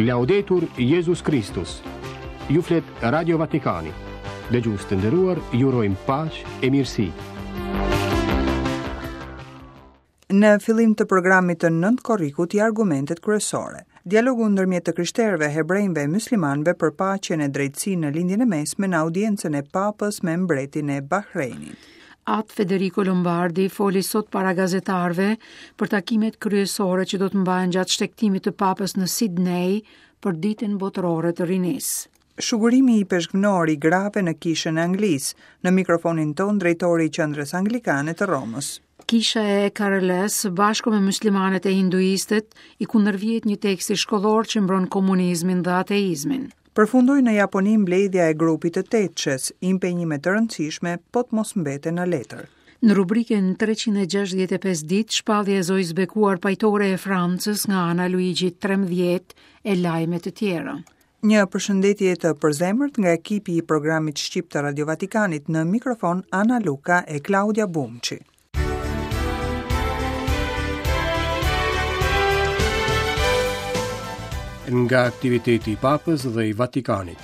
Laudetur Jezus Kristus. Ju flet Radio Vatikani. Dëgjues të nderuar, ju urojmë paqe e mirësi. Në fillim të programit të 9 korrikut ja argumentet kryesore. Dialogu ndërmjet të krishterëve, hebrejve e myslimanëve për paqen e drejtësinë në Lindjen e Mesme në audiencën e Papës me mbretin e Bahreinit. At Federico Lombardi foli sot para gazetarëve për takimet kryesore që do të mbahen gjatë shtegtimit të Papës në Sidney për Ditën Botërore të Rinisë. Shugurimi ipeshkvnor i grave në Kishën e Anglisë, në mikrofonin tonë drejtori i Qendrës Anglikane të Romës. Kisha e EKRL-së, së bashku me myslimanët e hinduistët, i kundërvihet një teksti shkollor që mbron komunizmin dhe ateizmin. Përfundoi në Japoni mbledhja e grupit të tetëshes, impenjime të rëndësishme po të mos mbeten në letër. Në rubrikën 365 ditë, shpallja e Zojës Bekuar Pajtore e Francës nga ana e Luigjit 13 e lajme të tjera. Një përshëndetje të përzemërt nga ekipi i programit shqip të Radio Vatikanit në mikrofon Ana Luka e Klaudia Bumçi. Nga aktiviteti i Papës dhe i Vatikanit.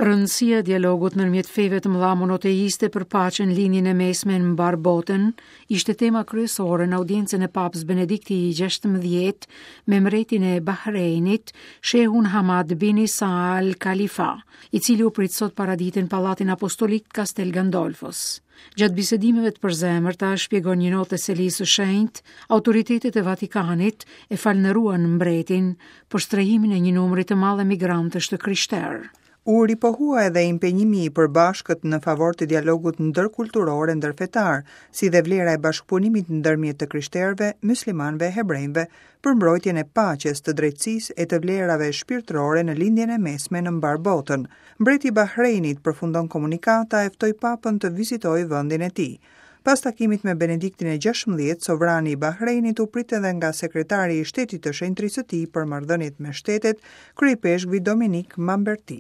Rëndësia e dialogut ndërmjet feve të mëdha monoteiste për paqen në Lindjen e Mesme në mbarë botën ishte tema kryesore në audiencën e Papës Benedikti i 16 me mbretin e Bahreinit, Shehun Hamad bin Isa Al Khalifa. i cili u prit sot paradite në Pallatin Apostolik të Castel Gandolfos. Gjatë bisedimeve të përzemërta, shpjegon një notë e Selisë së Shenjtë, autoritetet e Vatikanit e falënderuan mbretin për strehimin e një numri të madh emigrantësh të krishterë. U ripohua edhe impenjimi i përbashkët në favor të dialogut ndërkulturor e ndërfetar, si dhe vlera e bashkëpunimit ndërmjet të krishterëve, myslimanëve e hebrejve, për mbrojtjen e paqes, të drejtësisë e të vlerave shpirtërore në Lindjen e Mesme në mbarë botën. Mbreti i Bahreinit, përfundon komunikata, e ftoi Papën të vizitojë vendin e tij. Pas takimit me Benediktin e 16, sovrani i Bahreinit u prit edhe nga sekretari i shtetit të shenjtërisë së tij për marrëdhëniet me shtetet, kryeipeshkvi Dominik Mamberti.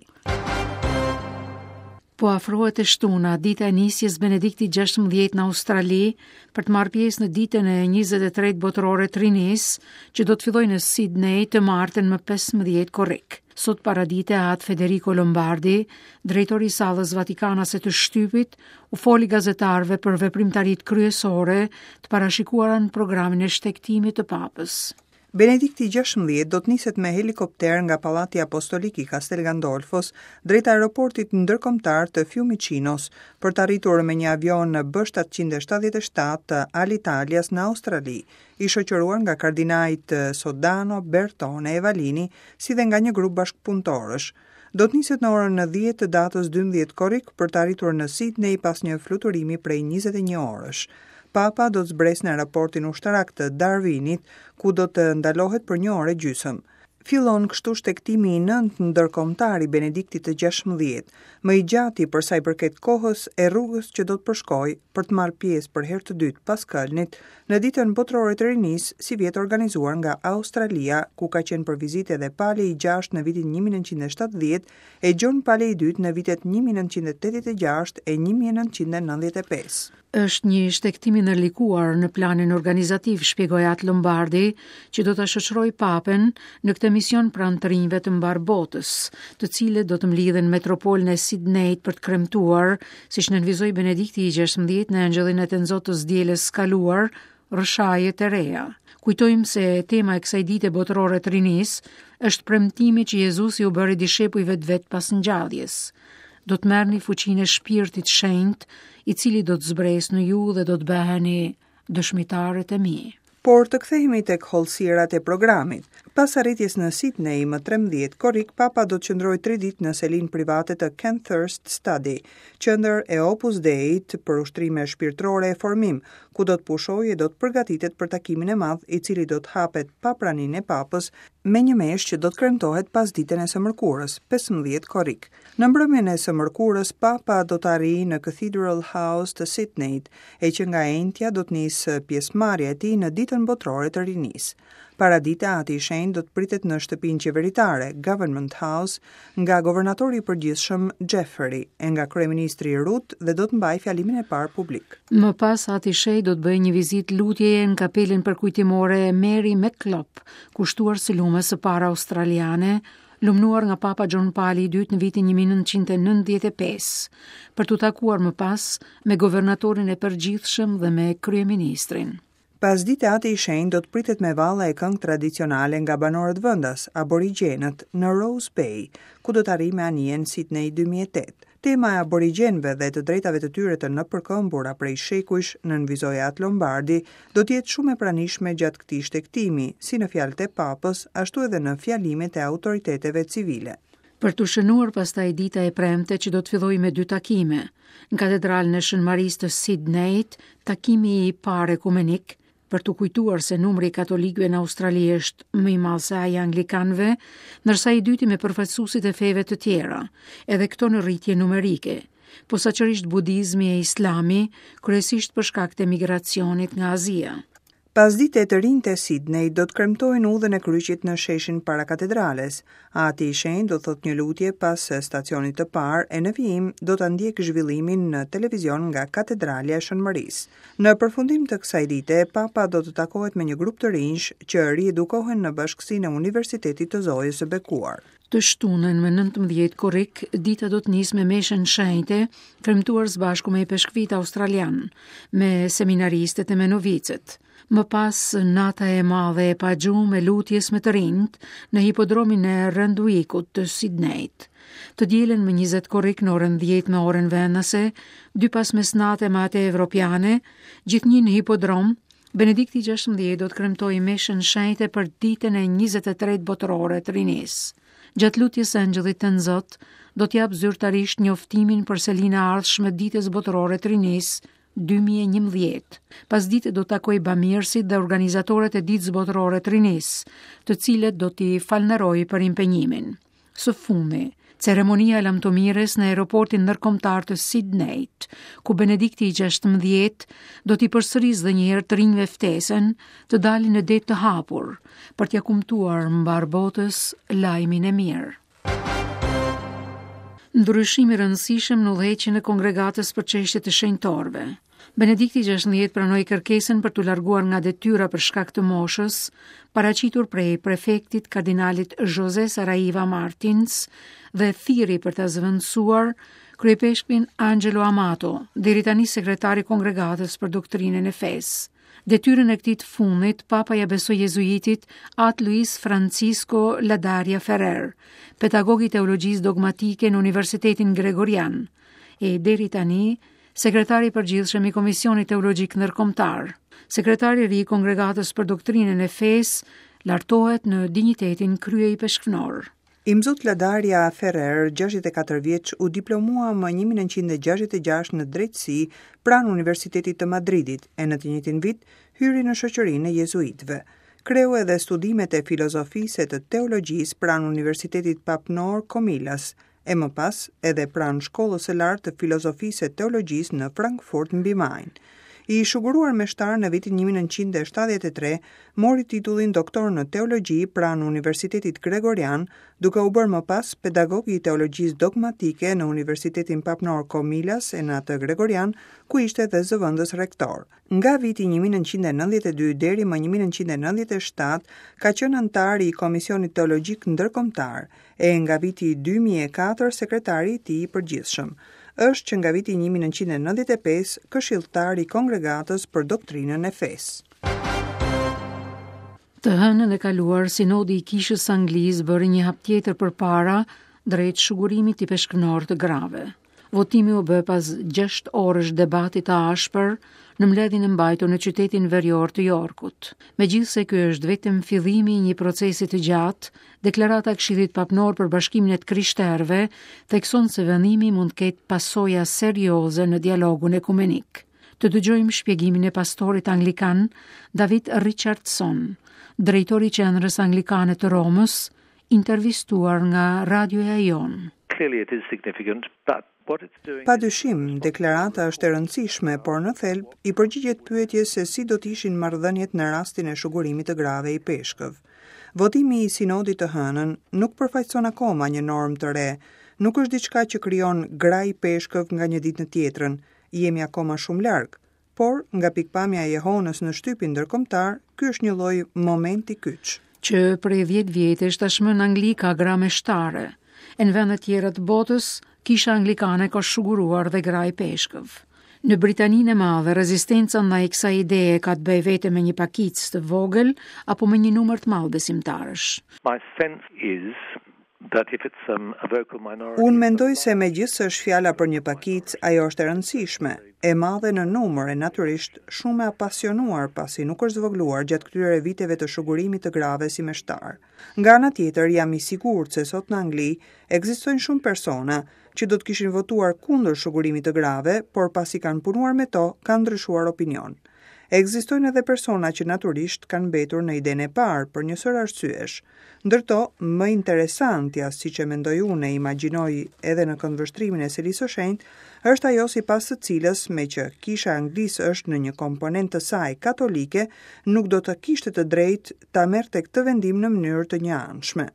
Po afrohet e shtuna, dita e nisjes Benediktit 16 në Australi, për të marrë pjesë në ditën e 23 botërore të rinisë, që do të fillojë në Sydney të martën më 15 korrik. Sot paradite At Federico Lombardi, drejtori i sallës vatikanase të shtypit, u foli gazetarëve për veprimtaritë kryesore të parashikuara në programin e shtegtimit të papës. Benedikti 16 do të niset me helikopter nga Pallati Apostolik i Castel Gandolfos drejt aeroportit ndërkombëtar të Fiumicinos për të arritur me një avion B777 të Alitalias në Australi, i shoqëruar nga kardinajt Sodano, Bertone e Vallini, si dhe nga një grup bashkëpunëtorësh. Do të niset në orën 10 të datës 12 korrik për të arritur në Sydney pas një fluturimi prej 21 orësh. Papa do të zbresë në aeroportin ushtarak të Darwinit, ku do të ndalohet për një orë e gjysmë. Fillon kështu shtegtimi i nëntë ndërkombëtar i Benediktit të 16, më i gjati për sa i përket kohës e rrugës që do të përshkojë për të marrë pjesë për herë të dytë pas Këlnit në Ditën Botërore të Rinisë, sivjet organizuar nga Australia, ku ka qenë për vizitë edhe Pali i gjashtë në vitin 1970 e Gjon Pali i dytë në vitet 1986 e 1995. Është një shtegtim i ndërlikuar në planin organizativ, shpjegoi At Lombardi, që do ta shoqërojë Papën në këtë mision pranë të rinjve të mbarë botës, të cilët do të mblidhen në metropolin e Sidneyt për të kremtuar, siç nënvizoi Benedikti i 16 në Engjëllin e Tënzotë të së dielës së kaluar, rrëshaje të reja. Kujtojmë se tema e kësaj dite botërore të rinisë është premtimi që Jezusi u bëri dishepujve të vet pas ngjalljes. Do të merrni fuqinë e Shpirtit Shenjt, i cili do të zbresë në ju dhe do të bëheni dëshmitarët e mi. Por të kthehemi tek hollësirat e programit. Pas arritjes në Sydney më 13 korrik, Papa do të qëndrojë 3 ditë në selinë private të Kenthurst Study, qendër e Opus Dei-t për ushtrime shpirtërore e formim, ku do të pushojë e do të përgatitet për takimin e madh, i cili do të hapet pa praninë e Papës, me një meshë që do të kremtohet pasditen e së mërkurës, 15 korrik. Në mbrëmjen e së mërkurës, Papa do të arrijë në Cathedral House të Sydneyt, e që nga e enjtja do të nisë pjesëmarrja e tij në Ditën Botërore të Rinisë. Paradite, Ati i Shenjtë do të pritet në shtëpinë qeveritare, Government House, nga governatori i përgjithshëm Jeffery e nga kryeministri Rudd dhe do të mbajë fjalimin e parë publik. Më pas Ati i Shenjtë do të bëjë një vizitë lutjeje në kapelën përkujtimore Mary MacKillop, kushtuar së lumes së parë australiane, lumnuar nga Papa Gjon Pali i II në vitin 1995, për t'u takuar më pas me governatorin e përgjithshëm dhe me kryeministrin. Pasdite Ati i Shenjtë do të pritet me valle e këngë tradicionale nga banorët vendas, aborigjenët, në Rose Bay, ku do të arrijë me anijen Sydney 2008. Tema e aborigjenëve dhe të drejtave të tyre të nëpërkëmbura prej shekujsh, nënvizoi At Lombardi, do të jetë shumë e pranishme gjatë këtij shtegtimi, si në fjalët e Papës, ashtu edhe në fjalimet e autoriteteve civile. Për t'u shënuar pastaj dita e premte që do të fillojë me dy takime. Në Katedralen e Shën Marisë të Sidnejit, takimi i parë ekumenik, për t'u kujtuar se numri i katolikëve në Australi është më i madh se ai i anglikanëve, ndërsa i dyti me përfaqësuesit e feve të tjera, edhe këto në rritje numerike, posaçërisht budizmi e islami, kryesisht për shkak të emigracionit nga Azia. Pasdite të rinjtë e Sidnejit do të kremtojnë udhën e kryqit në sheshin para katedrales. Ati i Shenjtë do të thotë një lutje pas stacionit të parë e në vijim do ta ndjekë zhvillimin në televizion nga Katedralja e Shën Mërisë. Në përfundim të kësaj dite, Papa do të takohet me një grup të rinjsh që riedukohen në bashkësinë e Universitetit të Zojës së Bekuar. Të shtunën më 19 korrik, dita do të nisë me meshën shenjte, kremtuar së bashku me ipeshkvijtë australianë, me seminaristët e me novicët. Më pas, nata e madhe e pagjumë e lutjes me të rinjtë në hipodromin e Randwickut të Sidnejt. Të dielën më 20 korrik në orën 10 me orën vendase, dy pas mesnate me atë evropiane, gjithnjë në hipodrom, Benedikti XVI do të kremtojë meshën shenjte për ditën e 23 botërore të rinisë. Gjatë lutjes së Engjëllit të Tënzot, do të japë zyrtarisht njoftimin për selinë e ardhshme të Ditës Botërore të Rinisë 2011. Pasdite do të takojë bamirësit dhe organizatorët e Ditës Botërore të Rinisë, të cilët do t'i falënderojë për impenjimin. Së fundi, ceremonia e lamtumirës në aeroportin ndërkombëtar të Sidnejt, ku Benedikti i XVI do t'i përsërisë dhe një herë të rinjve ftesën të dalin në det të hapur për t'ia kumtuar mbarë botës lajmin e mirë. Ndryshim i rëndësishëm në udhëheqjen e kongregatës për çështje të shenjtorëve. Benedikti XVI pranoi kërkesën për t'u larguar nga detyra për shkak të moshës, paraqitur prej prefektit kardinalit José Saraiva Martins dhe thirri për ta zëvendësuar kryeipeshkvin Angelo Amato, deri tani sekretar i Kongregatës për Doktrinën e Fesë. Detyrën e këtij të fundit, Papa ia besoi jezuitit At Luis Francisco Ladaria Ferrer, pedagog i teologjisë dogmatike në Universitetin Gregorian, e deri tani Sekretari i Përgjithshëm i Komisionit Teologjik Ndërkombëtar, sekretari i ri i Kongregatës për Doktrinën e Fesë, lartohet në dinjitetin kryeipeshkvnor. Imzot Ladaria Ferrer, 64 vjeç, u diplomua më 1966 në drejtësi pranë Universitetit të Madridit e në të njëjtin vit hyri në shoqërinë e jezuitëve. Kreu edhe studimet e filozofisë e të teologjisë pranë Universitetit Papnor Comillas, e më pas edhe pranë Shkollës së Lartë të Filozofisë e Teologjisë në Frankfurt mbi Main. I shuguruar meshtar në vitin 1973, mori titullin doktor në teologji pranë Universitetit Gregorian, duke u bërë më pas pedagog i teologjisë dogmatike në Universitetin Papnor Comillas e në atë Gregorian, ku ishte dhe zëvendës rektor. Nga viti 1992 deri më 1997 ka qenë anëtar i Komisionit Teologjik Ndërkombëtar e nga viti 2004 sekretari i tij i përgjithshëm. Është që nga viti 1995 këshilltar i Kongregatës për Doktrinën e Fesë. Të hënën e kaluar, Sinodi i Kishës së Anglisë bëri një hap tjetër përpara drejt shugurimit ipeshkvnor të grave. Votimi u bë pas 6 orësh debati të ashpër në mbledhjen e mbajtur në qytetin verior të Yorkut. Megjithëse ky është vetëm fillimi i një procesi të gjatë, deklarata e Këshillit Papnor për Bashkimin e të Krishterëve thekson se vendimi mund të ketë pasoja serioze në dialogun ekumenik. Të dëgjojmë shpjegimin e pastorit anglikan David Richardson, drejtor i Qendrës Anglikane të Romës, intervistuar nga radioja jonë. Clearly it is significant, but. Pa dyshim, deklarata është e rëndësishme, por në thelb i përgjigjet pyetjes se si do të ishin marrëdhëniet në rastin e shugurimit të grave ipeshkëv. Votimi i sinodit të hënën nuk përfaqëson akoma një normë të re, nuk është diçka që krijon gra ipeshkëv nga një ditë në tjetrën, jemi akoma shumë larg. Por, nga pikëpamja e jehonës në shtypin ndërkombëtar, ky është një lloj momenti kyç. Që prej 10 vjetësh tashmë në Angli ka gra meshtare. E në vende tjera të botës, kisha anglikane ka shuguruar dhe gra ipeshkëv. Në Britaninë e Madhe, rezistenca ndaj kësaj ideje ka të bëjë vetëm me një pakicë të vogël apo me një numër të madh besimtarësh. My sense is Um, Unë mendoj se megjithëse është fjala për një pakicë, ajo është e rëndësishme, e madhe në numër e natyrisht shumë e apasionuar pasi nuk është zvogëluar gjatë këtyre viteve të shugurimit të grave si meshtarë. Nga ana tjetër, jam i sigurt se sot në Angli ekzistojnë shumë persona që do të kishin votuar kundër shugurimit të grave, por pasi kanë punuar me to, kanë ndryshuar opinion. Ekzistojnë edhe persona që natyrisht kanë mbetur në idenë e parë për një sërë arsyesh. Ndër to, më interesantja, siç e mendoj unë e imagjinoj edhe në këndvështrimin e Selisë së Shenjtë, është ajo sipas së cilës, meqë Kisha e Anglisë është në një komponent të saj katolike, nuk do të kishte të drejtë ta merrte këtë vendim në mënyrë të njëanshme.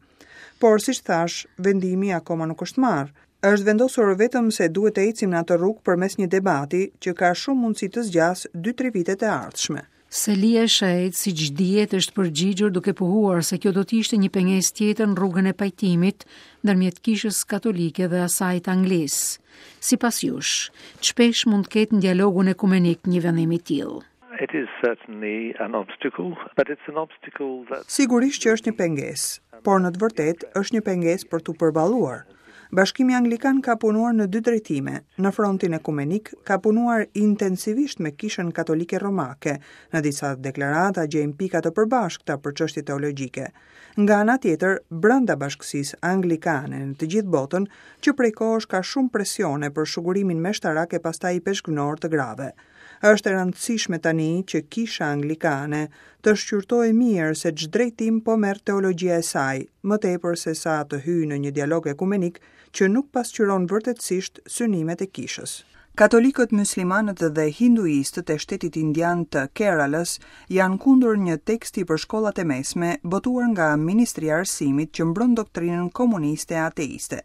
Por, siç thashë, vendimi akoma nuk është marrë. Është vendosur vetëm se duhet të ecim në atë rrugë përmes një debati që ka shumë mundësi të zgjasë 2-3 vitet e ardhshme. Selia e Shenjtë, siç dihet, është përgjigjur duke pohuar se kjo do të ishte një pengesë tjetër në rrugën e pajtimit ndërmjet Kishës Katolike dhe asaj të Anglisë. Sipas jush, ç'peshë mund të ketë në dialogun ekumenik një vendim i tillë? It is certainly an obstacle, but it's an obstacle that Sigurisht që është një pengesë, por në të vërtetë është një pengesë për t'u përballuar. Bashkimi Anglikan ka punuar në dy drejtime. Në frontin ekumenik ka punuar intensivisht me Kishën Katolike Romake. Në disa deklarata gjejmë pika të përbashkëta për çështje teologjike. Nga ana tjetër, brenda bashkësisë anglikane në të gjithë botën, që prej kohësh ka shumë presione për shugurimin meshtarak e pastaj ipeshkvnor të grave. Është e rëndësishme tani që Kisha Anglikane të shqyrtojë mirë se ç'drejtim po merr teologjia e saj, më tepër se sa të hyjë në një dialog ekumenik që nuk pasqyron vërtetësisht synimet e Kishës. Katolikët, myslimanët dhe hinduistët e shtetit indian të Keralës janë kundër një teksti për shkollat e mesme botuar nga Ministria e Arsimit që mbron doktrinën komuniste e ateiste.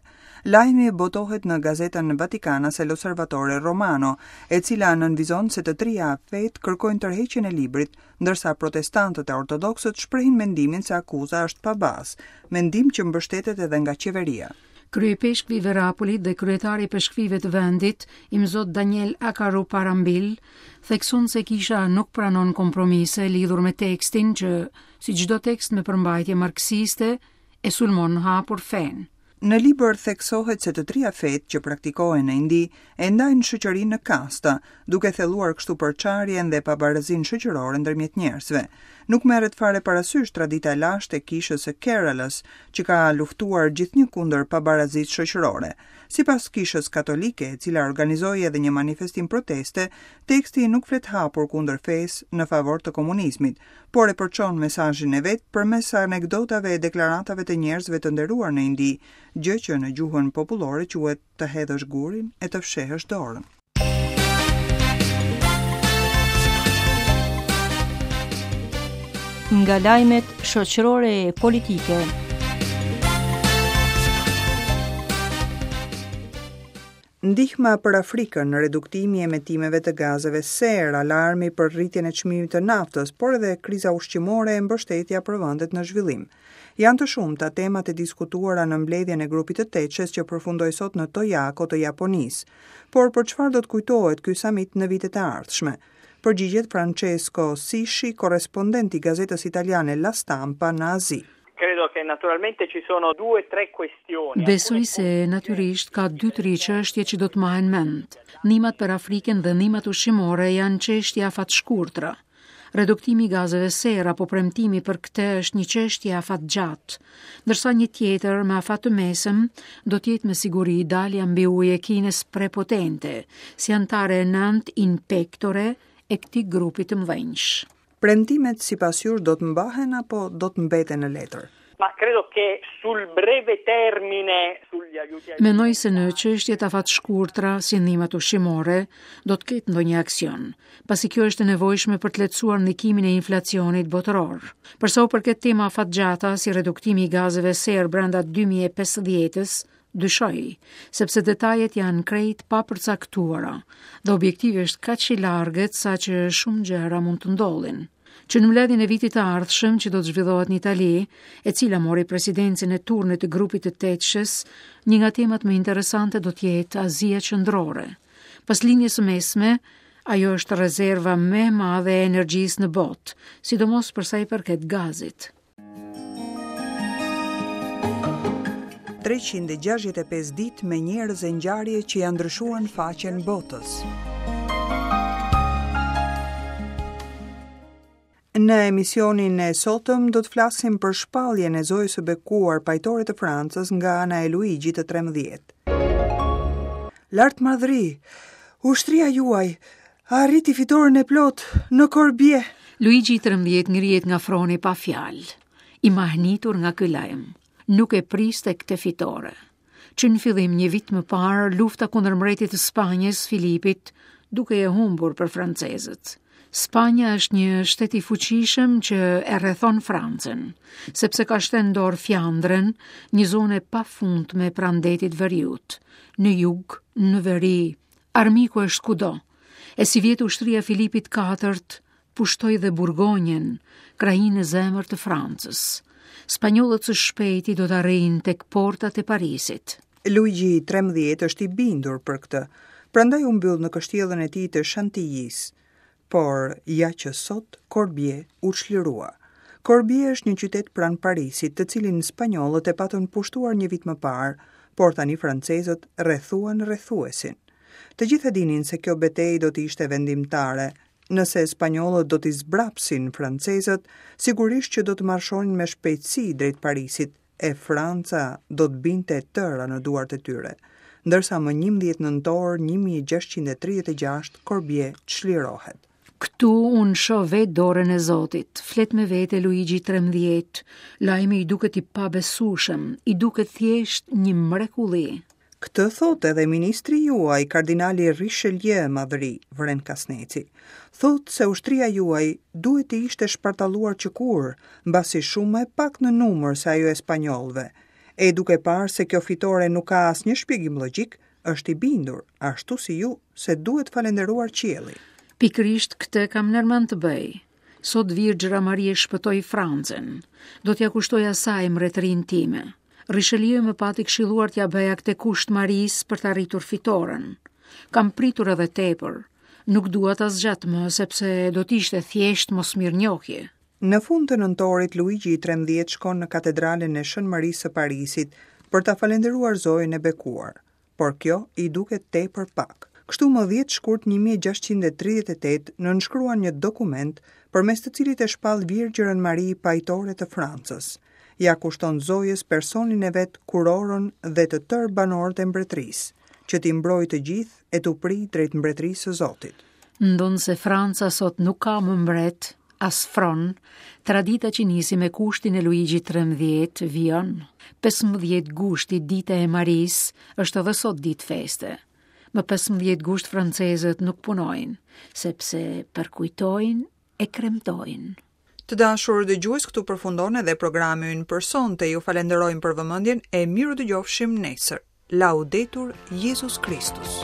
Lajmi botohet në gazetën vatikanase L'Osservatore Romano, e cila nënvizon se të tria fetë kërkojnë tërheqjen e librit, ndërsa protestantët e ortodoksët shprehin mendimin se akuza është pa bazë, mendim që mbështetet edhe nga qeveria. Kryeipeshkvi i Verapolit dhe kryetari i ipeshkvijve të vendit, Imzot Daniel Akaruparambil, thekson se kisha nuk pranon kompromise lidhur me tekstin që, si çdo tekst me përmbajtje marksiste, e sulmon hapur fenë. Në libër theksohet se të tria fetë që praktikohen në Indi e ndajnë shoqërinë në kasta, duke thelluar kështu përçarjen dhe pabarazinë shoqërore ndërmjet njerëzve. Nuk merret fare parasysh tradita e lashtë e kishës së Keralës, që ka luftuar gjithnjë kundër pabarazisë shoqërore. Sipas Kishës Katolike, e cila organizoi edhe një manifestim proteste, teksti nuk flet hapur kundër fesë në favor të komunizmit, por e përçon mesazhin e vet përmes anekdotave e deklaratave të njerëzve të nderuar në Indi, gjë që në gjuhën popullore quhet të hedhësh gurin e të fshehësh dorën. Nga lajmet shoqërore e politike. Ndihma për Afrikën, reduktimi i emetimeve të gazeve serë, alarmi për rritjen e çmimit të naftës, por edhe kriza ushqimore e mbështetja për vendet në zhvillim. Janë të shumta temat e diskutuara në mbledhjen e grupit të Tetëshes që përfundoi sot në Toyako të Japonisë. Por për çfarë do të kujtohet ky samit në vitet e ardhshme? Përgjigjet Francesco Sisci, korrespondent i gazetës italiane La Stampa në Azi. Credo che naturalmente ci sono due tre questioni. Besoj se natyrisht ka dy tri çështje që do të mbahen mend. Ndihmat për Afrikën dhe ndihmat ushqimore janë çështje afatshkurtra. Reduktimi i gazeve serë apo premtimi për këtë është një çështje afatgjatë, ndërsa një tjetër me afat të mesëm do të jetë me siguri dalja mbi ujë e Kinës prepotente, si anëtare e nëntë in pectore e këtij grupi të mëdhenjsh. Premtimet sipas jush do të mbahen apo do të mbeten në letër? Ma credo che sul breve termine sugli aiuti Mendoj se në çështjet afatshkurtra, si ndihmat ushqimore, do të ketë ndonjë aksion, pasi kjo është e nevojshme për të lehtësuar ndikimin e inflacionit botëror. Për sa u përket tema afatgjata, si reduktimi i gazeve serë brenda 2050-s, dyshoj, sepse detajet janë krejt papërcaktuara dhe objektivi është kaq i largët saqë shumë gjëra mund të ndodhin. Që në mbledhjen e vitit të ardhshëm që do të zhvillohet në Itali, e cila mori presidencën e turnit të grupit të tetëshes, një nga temat më interesante do të jetë Azia Qendrore. Pas Lindjes së Mesme, ajo është rezerva më e madhe e energjisë në botë, sidomos për sa i përket gazit. 365 ditë me njerëz e ngjarje që ia ndryshuan faqen botës. Në emisionin e sotëm do të flasim për shpalljen e Zojës së Bekuar Pajtore të Francës nga ana e Luigjit të 13. Lartmadhëri, ushtria juaj arriti fitoren e plotë në Korbie. Luigji i 13 ngrihet nga froni pa fjalë, i mahnitur nga ky lajm. Nuk e priste këtë fitore. Që në fillim një vit më parë, lufta kundër mbretit të Spanjës, Filipit, dukej e humbur për francezët. Spanja është një shtet i fuqishëm që e rrethon Francën, sepse ka shtënë në dorë Fjandrën, një zonë e pafundme pranë detit veriut, në jug, në veri, armiku është kudo. E sivjet ushtria e Filipit IV pushtoi dhe Burgonjën, krahinë në zemër të Francës. Spanjollët së shpejti do të arrijnë tek portat e Parisit. Luigji i 13 është i bindur për këtë, prandaj u mbyll në kështjellën e tij të Shantillisë. Por, ja që sot, Korbie u çlirua. Korbie është një qytet pranë Parisit, të cilin spanjollët e patën pushtuar një vit më parë, por tani francezët rrethuan rrethuesin. Të gjithë e dinin se kjo betejë do të ishte vendimtare. Nëse spanjollët do t'i zbrapsin francezët, sigurisht që do të marshonin me shpejtësi drejt Parisit, e Franca do të binte e tëra në duart e tyre. Ndërsa më 11 nëntor 1636 Korbie çlirohet. Këtu unë shoh vetë dorën e Zotit, flet me vete Luigji 13, lajmi i duket i pabesueshëm, i duket thjesht një mrekulli. Këtë thotë edhe ministri juaj, kardinali Richelieu, madhëri, vëren Kasneci. Thotë se ushtria juaj duhet të ishte shpartalluar qëkur, mbasi shumë më e paktë në numër se ajo e spanjollëve. E duke parë se kjo fitore nuk ka asnjë shpjegim logjik, është i bindur, ashtu si ju, se duhet falënderuar qielli. Pikërisht këtë kam ndërmend të bëj. Sot Virgjëra Marie shpëtoi Francën. Do t'ia kushtoj asaj mbretërinë time. Richelieu më pati këshilluar t'ia bëja këtë kusht Marisë për të arritur fitoren. Kam pritur edhe tepër. Nuk dua ta zgjat më, sepse do të ishte thjesht mosmirënjohje. Në fund të nëntorit, Luigji i 13 shkon në katedralen e Shën Marisë së Parisit për ta falënderuar Zojën e Bekuar. por kjo i duket tepër pak. Kështu më 10 shkurt 1638 nënshkruan një dokument përmes të cilit e shpall Virgjërën Mari pajtore të Francës. Ia kushton Zojës personin e vet, kurorën dhe të tërë banorët e mbretërisë, që t'i mbrojë të gjithë e t'u prijë drejt mbretërisë së Zotit. Ndonëse Franca sot nuk ka më mbret, as fron, tradita që nisi me kushtin e Luigjit 13 vijon. 15 gushti, dita e Marisë, është edhe sot ditë feste. Më 15 gusht francezët nuk punojnë, sepse përkujtojnë e kremtojnë. Të dashur dëgjues, këtu përfundon edhe programi ynë për sonte. Ju falenderojmë për vëmendjen e mirudëgjofshim nesër. Laudetur Jezus Kristus.